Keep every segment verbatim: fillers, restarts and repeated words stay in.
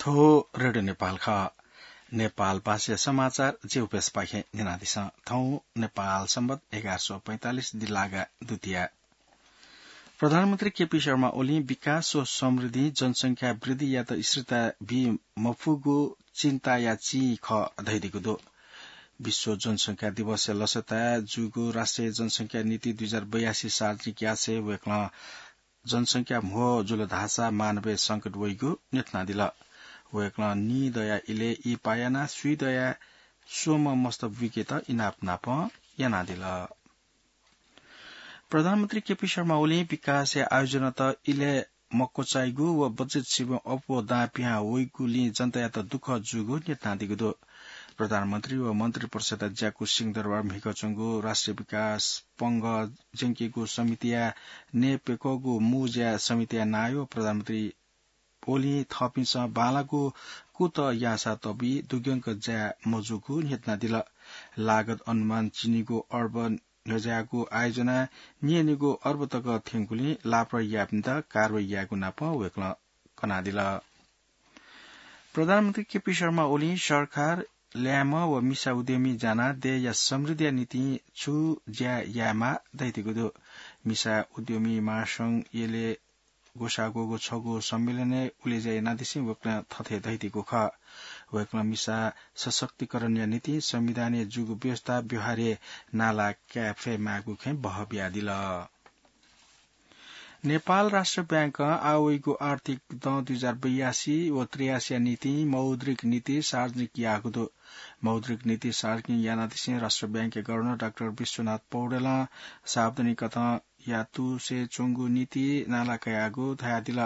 थ्व रेडियो नेपाल खः। नेपाल भाषाया समाचार जिगु प्रेसपाखें न्यनादिसँ। थौं नेपाल संवत एघार सय पैंतालिस दिल्लागा दुतिया। प्रधानमन्त्री केपी शर्मा ओलीं विकास व समृद्धि जनसंख्या वृद्धियात स्थिरता बी मफुगु चिन्ताया चिं खः धइदिगु दु। विश्व जनसंख्या दिवसया लसताय् जूगु राष्ट्रिय जनसंख्या नीति दुई हजार बयासी सार्वजनिक यासें वय्कलं जनसंख्या म्हो जुल धाःसा मानवय् संकट वइगु न्ह्यथनादिल। वय्कलं नीदँया इलय् इहिपाः यानाः स्वीदँया स्वम्ह मस्त बुइकेत इनाप नापं यानादिल। प्रधानमन्त्री केपी शर्मा ओलीं विकासया आयोजनात इलय् मक्वचाइगु व बजेट सिबें अप्वः दां पिहां वइगुलिं जनतायात दुःख जूगु न्ह्यथनादीगु दु। प्रधानमन्त्री व मन्त्रिपरिषदया ज्याकू सिंहदरबार म्हिगः च्वंगु राष्ट्रिय विकास पंगः ज्यंकेगु समितिया नयेप्यक्वःगु मुँज्या समितिया नायः प्रधानमन्त्री ओलीं थःपिन्सं बांलाःगु कुतः याःसा तबी दुग्यंक जाये मजूगु न्ह्यथनादिल। लागत अनुमान चिनिगू अर्ब न्ह्यज्याःगु आयोजनाय् न्येनिगू अर्ब तक थ्यंगुलिं लापरवाही याःपिन्त कारवाही यायेगु नापं वय्कलं कनादिल। प्रधानमन्त्री केपी शर्मा ओलीं सरकार, ल्याय्म्ह व मिसा उद्यमी जानाः देय्या समृद्धिया निंतिं छु ज्या यायेमाः धइदिगु दु। मिसा उद्यमी महासंघ यलय् ग्वसाः ग्वःगु छगू सम्मेलनय् उलेज्या यानादिसें वय्कलं थथे धइदिगु खः। वय्कलं मिसा सशक्तिकरणया निंतिं संविधानय् जूगु व्यवस्था व्यवहारय् नाला काये फयेमाःगु खँय् बहः बियादिल। नेपाल राष्ट्र बैंकं आः वइगु आर्थिक दँ दुई हजार बयासी व त्रियासीया निंतिं मौद्रिक नीति सार्वजनिक याःगु दु। मौद्रिक नीति सार्वजनिक यानादिसें राष्ट्र बैंकया गभर्नर डाक्टर विश्वनाथ पौडेलं सार्वजनिक कथं यातुसे च्वंगु नीति नाला कयागु धयादिल।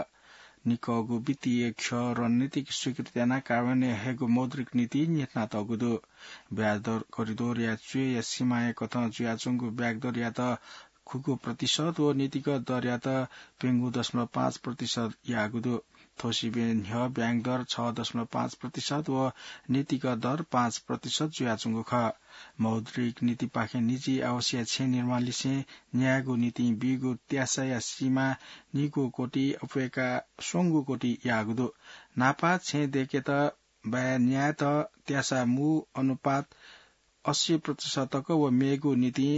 निकःगु वित्तीय ख्यः रणनीतिक स्वीकृति यानाः कार्यान्वयन हयेगु मौद्रिक नीति न्ह्यथनातःगु दु। ब्याजदर करिडोरया च्वय्या सीमाया कथं जुयाच्वंगु ब्याजदरयात खुगू प्रतिशत व नीतिगत दरयात प्यंगू दशमलव पाँच प्रतिशत याःगु दु। थ्व सिबें न्ह्यः ब्याङ्क दर छ दशमलव पाँच प्रतिशत व नीतिगत दर पाँच प्रतिशत जुयाच्वंगु खः। मौद्रिक नीतिपाखें निजी आवासया छेँ निर्माण लिसें न्यायेगु निंतिं बीगु त्यासाया सीमा निगू कोटि अप्वय्का स्वंगू कोटि याःगु दु। न्हापा छेँ दय्केत बाय् न्यायेत त्यासा मू अनुपात अस्सी प्रतिशत तक व मेगु निंतिं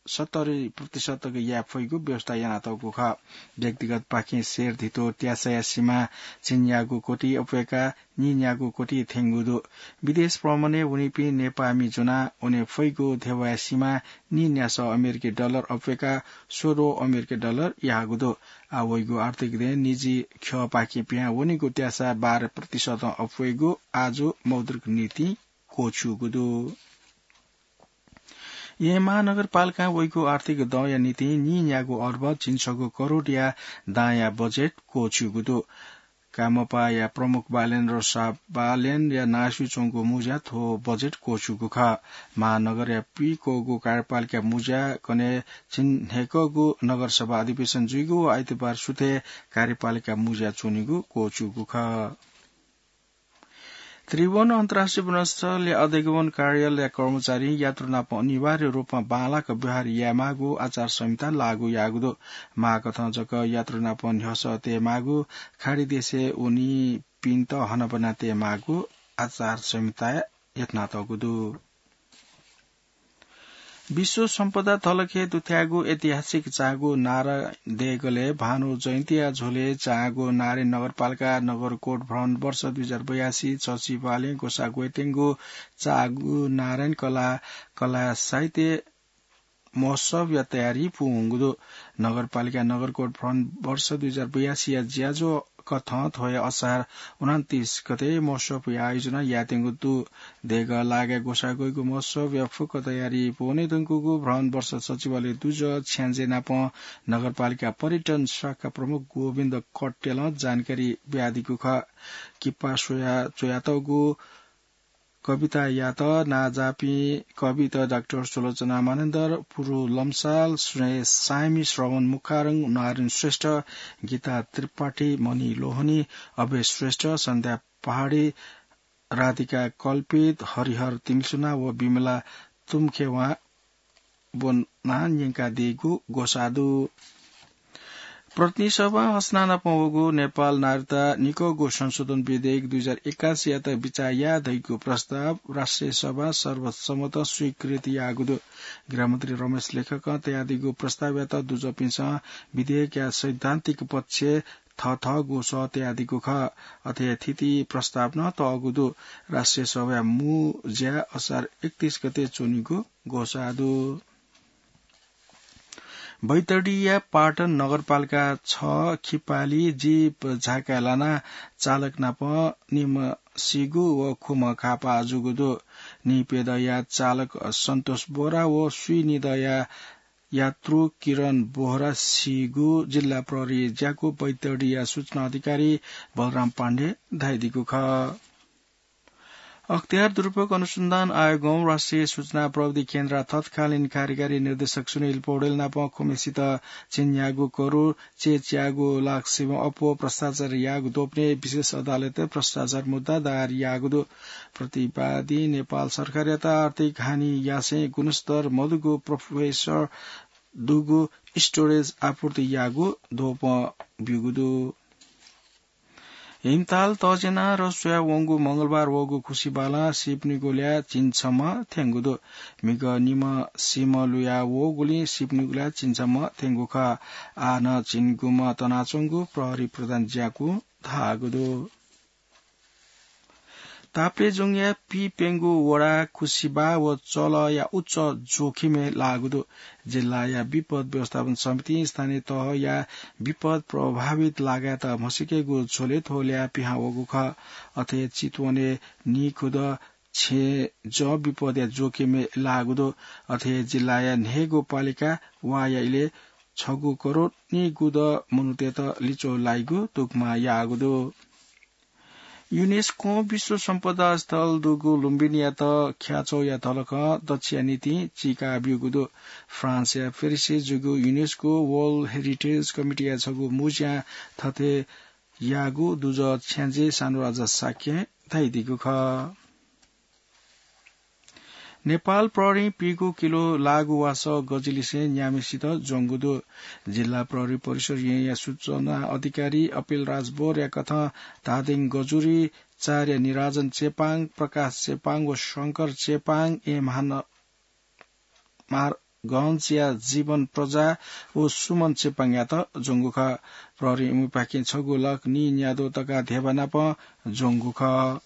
सत्तरी प्रतिशत तक याये फइगु व्यवस्था यानातःगु खः। व्यक्तिगतपाखें सेर धितो त्यासाया सीमा झिंन्यागू कोटि अप्वय्का नीन्यागू कोटि थ्यंगु दु। विदेश भ्रमणय् वनीपिं नेपाःमि ज्वनाः वने फइगु ध्यबाया सीमा नीन्यासः अमेरिकी डलर अप्वय्का स्वद्वः अमेरिकी डलर याःगु दु। आः वइगु आर्थिक दँय् निजी ख्यःपाखें पिहां वनीगु त्यासा बाह्र प्रतिशतं अप्वइगु आजु मौद्रिक नीतिं क्वःछिउगु दु। येँ महानगरपालिकां वइगु आर्थिक दँया निंतिं नीन्यागू अर्ब झिंछगू करोडया दांया बजेट क्वःछिउगु दु। कामपाया प्रमुख बालेन्द्र साह बालेनया नांसुइ च्वंगु मुँज्या थ्व बजेट क्वःछिउगु खः। महानगरया पुइक्वःगु कार्यपालिका मुँज्या कन्हय् झिंन्हय्कःगु नगरसभा अधिवेशन जुइगु व आइतबार सुथय् कार्यपालिका मुँज्या च्वनीगु क्वःछिउगु खः। त्रिभुवन अन्तर्राष्ट्रिय विमानस्थलया अधिगमन कार्यालयया कर्मचारीं यात्रु नाप अनिवार्य रूपमा बांलाक व्यवहार यायेमाःगु आचार संहिता लागू याःगु दु। माःकथं जक यात्रु नाप न्ह्यसः तयेमाःगु, खाडी देशय् वनीपिन्त हनाबना तयेमाःगु आचार संहिताय् यथनातःगु दु। विश्व सम्पदा तलखे दुथ्याःगु ऐतिहासिक चागु नारायण देगलय् भानु जयन्तीया झ्वलय् चागु नारायणी नगरपालिका नगरकोट भ्रमण वर्ष दुई हजार बयासी सचिवालयं ग्वसाः ग्वयेत्यंगु चागु नारायणी कला, कला साहित्य महोत्सवया तयारी पूवंगु दु। नगरपालिका नगरकोट भ्रमण वर्ष दुई हजार बयासीया ज्याझ्वः कथं थ्व हे असार उनन्तीस गते महोत्सवया आयोजना यायेत्यंगु दु। देगः लागाय् ग्वसाः ग्वइगु महोत्सवया फुक्क तयारी पूवने धुंकूगु भ्रमण वर्ष सचिवालय दुजः छ्याञ्जे नाप नगरपालिका पर्यटन शाखा प्रमुख गोविन्द कट्टेलं जानकारी बियादीगु खः। किपा स्वया च्वयातःगु कवितायात नांजाःपिं कवित डाक्टर सुलोचना मानन्धर, पुरु लम्साल, स्नेह सायमि, श्रवण मुखारङ, नारायण श्रेष्ठ, गीता त्रिपाठी, मणि लोहनी, अभय श्रेष्ठ, सन्ध्या पहाडी, राधिका कल्पित, हरिहर तिमिल्सुना व विमला तुम्खेवां ब्वनाः न्यंकादीगु ग्वसाः दु। प्रतिनिधि सभा हस्नानापं वःगु नेपाल नागरिकता निकःगु संशोधन विधेयक दुई हजार एकासीयात बिचाः या धइगु प्रस्ताव राष्ट्रिय सभा सर्वसम्मत स्वीकृति याःगु दु। गृहमन्त्री रमेश लेखकं तयादीगु प्रस्तावयात दुजःपिन्सं विधेयकया सैद्धान्तिक पक्ष थथःगु सः तयादीगु खः। अथे थीथी प्रस्ताव नं तःगु दु। राष्ट्रिय सभाया मू ज्या असार एकतीस गते च्वनीगु घोषणा दु। बैतडीया पाटन नगरपालिका छ खिपाली जीप झाकाय् लानाः चालक नाप निम्ह सीगु व खुम्ह घाःपाः जूगु दु। निपेदँया चालक सन्तोष बोहरा व स्वीनिदँया यात्रु किरण बोहरा सीगु जिल्ला प्रहरी ज्याकू बैतडीया सूचना अधिकारी बलराम पाण्डे धयादीगु खः। अख्तियार दुरुपयोग अनुसन्धान आयोगं राष्ट्रिय सूचना प्रविधि केन्द्रया तत्कालीन कार्यकारी निर्देशक सुनिल पौडेल नाप खुम्हेसित झिंन्यागू करोड चय्‌च्यागू लाख सिबें अप्वः भ्रष्टाचार याःगु द्वपनय् विशेष अदालतय् भ्रष्टाचार मुद्दा दायर याःगु दु। प्रतिवादीं नेपाल सरकारयात आर्थिक हानि यासें गुणस्तर मदुगु प्रोफेसर दुगु स्टोरेज आपूर्ति याःगु द्वपं ब्यूगु दु। हिमताल तःजेना र स्वया वंगु मंगलबार वःगु खुसिबालं सिपनिगुल्या झिंछम्ह थ्यंगु दु। म्हिगः निम्ह सिम्ह लुया वःगुलिं सिपनिगुल्या झिंछम्ह थ्यंगु खः। आः नं झिंगुम्ह तनाच्वंगु प्रहरी प्रधान ज्याकू धाःगु दु। ताप्लेजुङया पीप्यंगू वडा खुसिबा व चलया उच्च जोखिमय् लाःगु दु। जिल्लाया विपद व्यवस्थापन समितिं स्थानीय तहया विपद प्रभावित लागाय्‌त म्हसीकेगु झ्वलय् थ्व ल्याः पिहां वःगु खः। अथे चितवनय् नीखुदँ छेँ जः विपदया जोखिमय् लाःगु दु। अथे जिल्लाया न्हय्‌गू पालिका वाया इलय् छगू करोड नीखुदँ मनूतय्‌त लिच्वः लाइगु दुग्मा याःगु दु। युनेस्कों विश्व सम्पदा स्थल दुगु लुम्बिनीयात ख्याचौया धलखं दच्छिया निंतिं चीका ब्यूगु दु। फ्रान्सया पेरिसय् जूगु युनेस्को वर्ल्ड हेरिटेज कमिटीया छगू मुँज्यां थथे याःगु दुजः छ्याञ्जे सानुराजा शाक्यं धयादीगु खः। नेपाल प्रहरीं पीगू किलो लाःगु वासः गजिलिसें न्याम्हेसित ज्वंगु दु। जिल्ला प्रहरी परिसर येँया सूचना अधिकारी अपिल राज बोरया कथं धादिङ गजुरी, चारया निराजन चेपाङ, प्रकाश चेपाङ व शंकर चेपाङ, एम हान मार गहंसिया जीवन प्रजा व सुमन चेपाङयात ज्वंगु खः। प्रहरीं इमिपाखें छगू लाख नीन्याद्वः तका धेबा नाप ज्वंगु खः।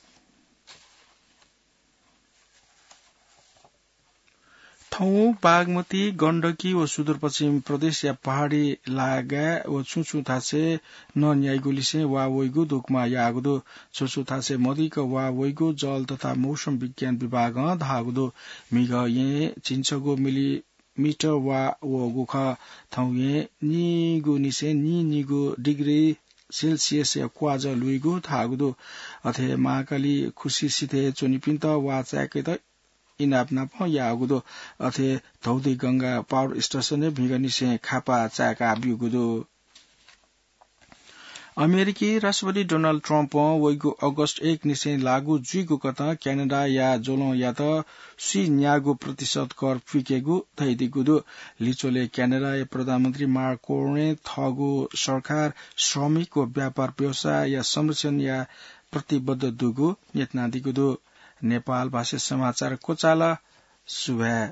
थौं बागमती, गण्डकी व सुदूरपश्चिम प्रदेशया पहाडी लागाय् व छुं छुं थासय् नन्याइगु लिसें वा वइगु दुग्मा याःगु दु। छुं छुं थासय् मदिक वा वइगु जल तथा मौसम विज्ञान विभागं धाःगु दु। म्हिगः येँ झिंछगू मिलिमिटर वा वःगु खः। थौं येँ नीगु निसें नीनिगू डिग्री सेल्सियसया क्वाजः लुइगु धाःगु दु। अथे महाकाली खुसि सिथय् च्वनीपिन्त वा चाय्‌केत इनाप नाप याःगु दु। अथे धौधि गंगा पावर स्टेसनय् म्हिगःनिसें खापा चाय्‌का ब्यूगु दु। अमेरिकी राष्ट्रपति डोनाल्ड ट्रम्पं वइगु अगस्त एक निसें लागू जुइगु कथं क्यानाडाया ज्वलंयात स्वीन्यागू प्रतिशत कर पुइकेगु धयादीगु दु। लिच्वलय् क्यानाडाया प्रधानमन्त्री मार्क कार्नें थःगु सरकार श्रमिक व व्यापार व्यवसायया संरक्षणया प्रतिबद्ध दुगु न्ह्यथनादीगु दु। नेपाल भाषा समाचार क्वचाल। सुभाय्।